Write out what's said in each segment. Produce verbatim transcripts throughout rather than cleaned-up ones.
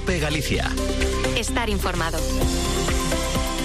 COPE Galicia. Estar informado.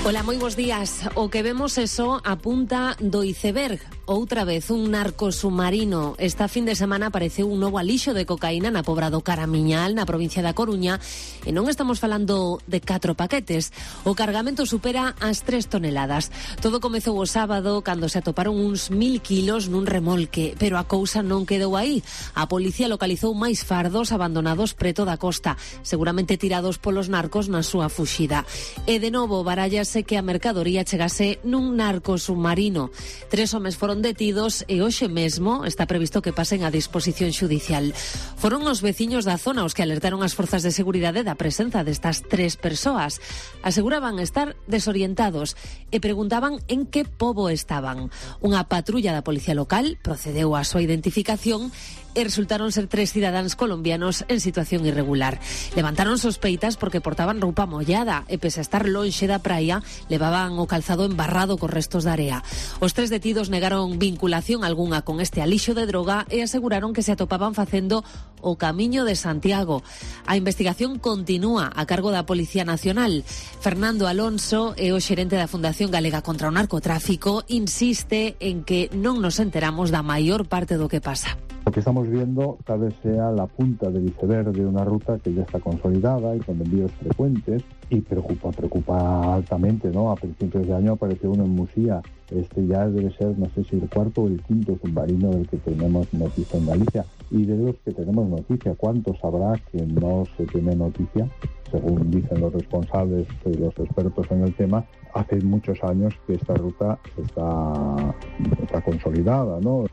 Ola, moi bons días. O que vemos eso a punta do iceberg. Outra vez, un narco submarino. Esta fin de semana apareceu un novo alixo de cocaína na Pobra do Caramiñal, na provincia da Coruña, e non estamos falando de catro paquetes. O cargamento supera as tres toneladas. Todo comezou o sábado, cando se atoparon uns mil kilos nun remolque, pero a cousa non quedou aí. A policía localizou máis fardos abandonados preto da costa, seguramente tirados polos narcos na súa fuxida. E de novo barállase que a mercadoría chegase nun narco submarino. Tres homes foron detidos e hoxe mesmo está previsto que pasen a disposición xudicial. Foron os veciños da zona os que alertaron as forzas de seguridade da presenza destas tres persoas. Aseguraban estar desorientados e preguntaban en que pobo estaban. Unha patrulla da policía local procedeu á súa identificación e resultaron ser tres cidadáns colombianos en situación irregular. Levantaron sospeitas porque portaban roupa mollada e, pese a estar lonxe da praia, levaban o calzado embarrado cos restos de area. Os tres detidos negaron vinculación algunha con este alixo de droga e aseguraron que se atopaban facendo o Camiño de Santiago. A investigación continúa a cargo da Policía Nacional. Fernando Alonso é o xerente da Fundación Galega contra o Narcotráfico, insiste en que non nos enteramos da maior parte do que pasa. Lo que estamos viendo tal vez sea la punta del iceberg de una ruta que ya está consolidada y con envíos frecuentes y preocupa, preocupa altamente, ¿no? A principios de año apareció uno en Musía. Este ya debe ser, no sé si el cuarto o el quinto submarino del que tenemos noticia en Galicia. Y de los que tenemos noticia, ¿cuántos habrá que no se tiene noticia? Según dicen los responsables y los expertos en el tema, hace muchos años que esta ruta está, está consolidada, ¿no?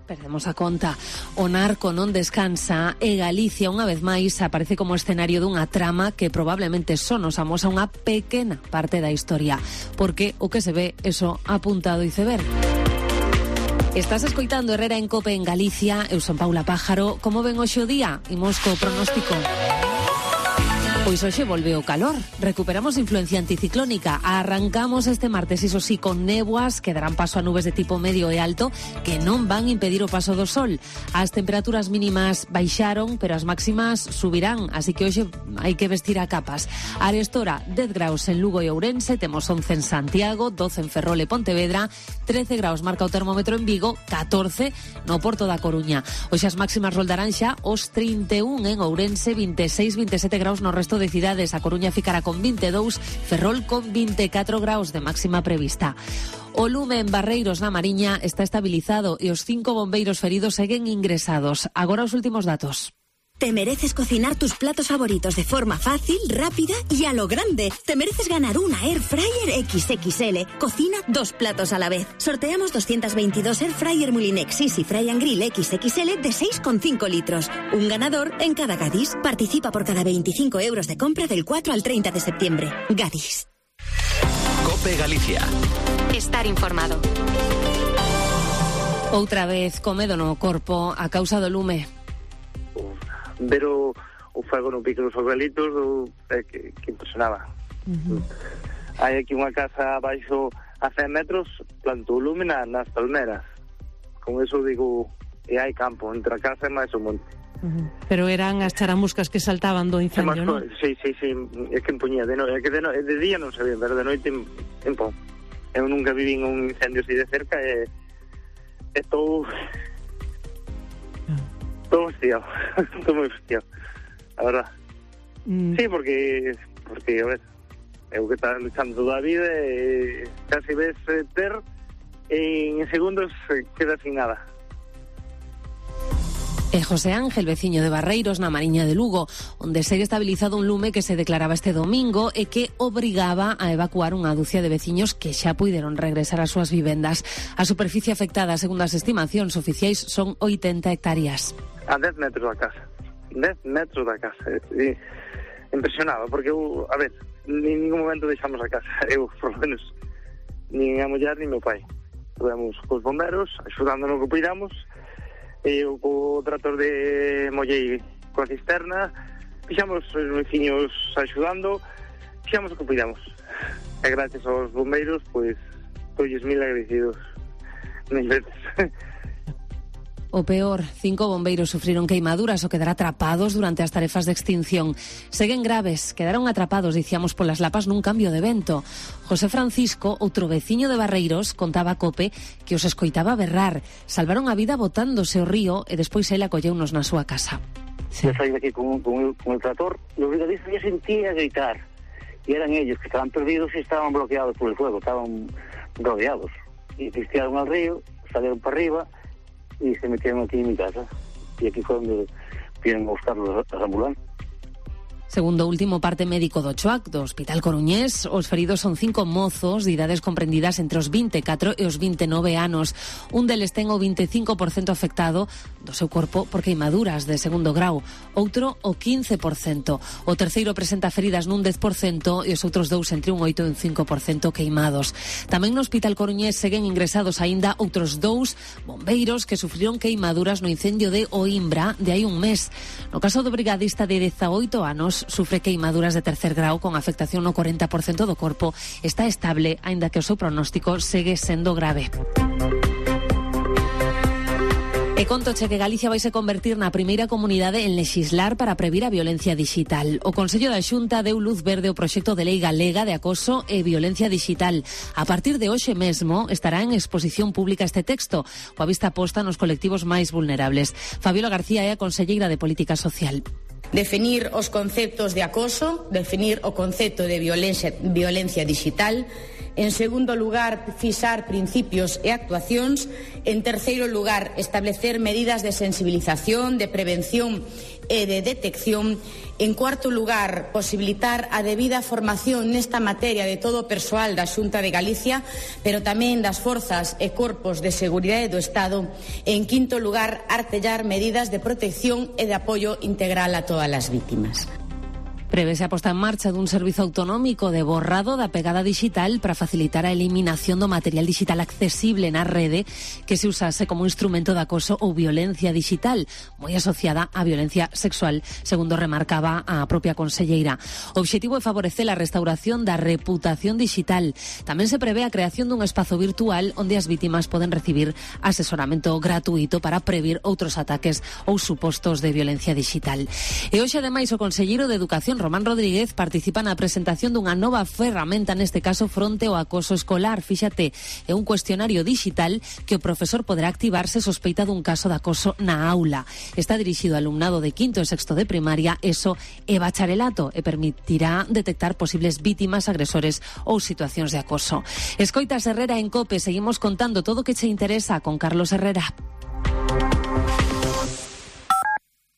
Perdemos a conta. O narco non descansa e Galicia, unha vez máis, aparece como escenario dunha trama que probablemente só nos amosa unha pequena parte da historia, porque o que se ve eso apuntado iceberg. Estás escoitando Herrera en Cope en Galicia. Eu son Paula Pájaro. Como ven hoxe o día? Imos co pronóstico. Pois hoxe volve o calor, recuperamos influencia anticiclónica, arrancamos este martes, iso sí, con néboas que darán paso a nubes de tipo medio e alto que non van impedir o paso do sol. As temperaturas mínimas baixaron, pero as máximas subirán, así que hoxe hai que vestir a capas. A arestora, dez graus en Lugo e Ourense, temos once en Santiago, doce en Ferrol e Pontevedra, trece graus marca o termómetro en Vigo, catorce no Porto da Coruña. Hoxe as máximas roldarán xa os trinta e un en Ourense, vinte e seis, vinte e sete graus no resto de cidades. A Coruña ficará con vinte e dous, Ferrol con vinte e catro graus de máxima prevista. O lume en Barreiros na Mariña está estabilizado e os cinco bombeiros feridos seguen ingresados. Agora os últimos datos. Te mereces cocinar tus platos favoritos de forma fácil, rápida y a lo grande. Te mereces ganar una Air Fryer equis equis ele. Cocina dos platos a la vez. Sorteamos doscientos veintidós Air Fryer Mulinex Easy Fry and Grill equis equis ele de seis coma cinco litros. Un ganador en cada Gadis. Participa por cada veinticinco euros de compra del cuatro al treinta de septiembre. Gadis. COPE Galicia. Estar informado. Outra vez comedo no corpo a causa do lume. Ver o, o fuego no pico dos arbolitos o, é que, que impresionaba. Uh-huh. Hai aquí unha casa abaixo a cen metros, plantou lume na, nas palmeras. Con eso digo, e hai campo entre a casa e máis o monte. Uh-huh. Pero eran as charamuscas que saltaban do incendio, non? Sí, sí, sí, é que empuñía de, no, é que de, no, de día non sabía, pero de noite empón. Eu nunca viví un incendio así de cerca e estou... Todo hostiado, todo moi hostiado, a verdad. Mm. Sí, porque, porque, a ver, eu que está luchando toda a vida e casi ves ter e en segundos queda sin nada. E José Ángel, veciño de Barreiros, na Mariña de Lugo, onde segue estabilizado un lume que se declaraba este domingo e que obrigaba a evacuar unha ducia de veciños que xa puideron regresar ás súas vivendas. A superficie afectada, segundo as estimacións oficiais, son oitenta hectáreas. A dez metros da casa. dez metros da casa. E, impresionaba, porque eu, a ver, en ningún momento deixamos a casa. Eu, por lo menos, nin a muller, nin meu pai. Estuvemos cos bomberos, axudando no que puidamos. Eu co trator de mollei coa cisterna, fixamos os veciños axudando, fixamos o que puidamos. E gracias aos bombeiros, pois, todos mil agradecidos. Mil veces. O peor, cinco bombeiros sufriron queimaduras o quedar atrapados durante as tarefas de extinción. Seguen graves, quedaron atrapados, dicíamos, polas lapas nun cambio de vento. José Francisco, outro veciño de Barreiros, contaba a COPE que os escoitaba berrar. Salvaron a vida botándose ao río e despois ele acolleunos na súa casa. Sí. Yo salí de aquí con, con, el, con el trator, los brigadistas ya sentía gritar. Y eran ellos que estaban perdidos y estaban bloqueados por el fuego, estaban rodeados. Y pistearon al río, salieron para arriba y se metieron aquí en mi casa. Y aquí fue donde vienen a buscar los, las ambulancias. Segundo último parte médico do Choac, do Hospital Coruñés, os feridos son cinco mozos de idades comprendidas entre os vinte e catro e os vinte e nove anos. Un deles ten o vinte e cinco por cento afectado do seu corpo por queimaduras de segundo grau, outro o quince por cento. O terceiro presenta feridas nun dez por cento e os outros dous entre un oito e un cinco por cento queimados. Tamén no Hospital Coruñés seguen ingresados aínda outros dous bombeiros que sufriron queimaduras no incendio de Oimbra de hai un mes. No caso do brigadista de dezaoito anos, sufre queimaduras de tercer grau con afectación no corenta por cento do corpo. Está estable, aínda que o seu pronóstico segue sendo grave. E contoche que Galicia vai se convertir na primeira comunidade en lexislar para previr a violencia digital. O Consello da Xunta deu luz verde ao proxecto de lei galega de acoso e violencia digital. A partir de hoxe mesmo estará en exposición pública este texto, coa vista posta nos colectivos máis vulnerables. Fabiola García é a conselleira de Política Social. Definir os conceptos de acoso, definir o concepto de violencia, violencia digital. En segundo lugar, fixar principios e actuacións. En terceiro lugar, establecer medidas de sensibilización, de prevención e de detección. En cuarto lugar, posibilitar a debida formación nesta materia de todo o persoal da Xunta de Galicia, pero tamén das forzas e corpos de seguridade do Estado. En quinto lugar, artellar medidas de protección e de apoio integral a todas as vítimas. Prevese a posta en marcha dun servizo autonómico de borrado da pegada digital para facilitar a eliminación do material digital accesible na rede que se usase como instrumento de acoso ou violencia digital, moi asociada á violencia sexual, segundo remarcaba a propia conselleira. O obxectivo é favorecer a restauración da reputación digital. Tamén se prevé a creación dun espazo virtual onde as vítimas poden recibir asesoramento gratuito para previr outros ataques ou supostos de violencia digital. E hoxe, ademais, o conselleiro de Educación, Román Rodríguez, participa na presentación dunha nova ferramenta, neste caso fronte ao acoso escolar. Fíxate, é un cuestionario digital que o profesor poderá activar se sospeita dun caso de acoso na aula. Está dirixido ao alumnado de quinto e sexto de primaria, ESO e bacharelato, e permitirá detectar posibles vítimas, agresores ou situacións de acoso. Escoitas Herrera en COPE, seguimos contando todo o que che interesa con Carlos Herrera.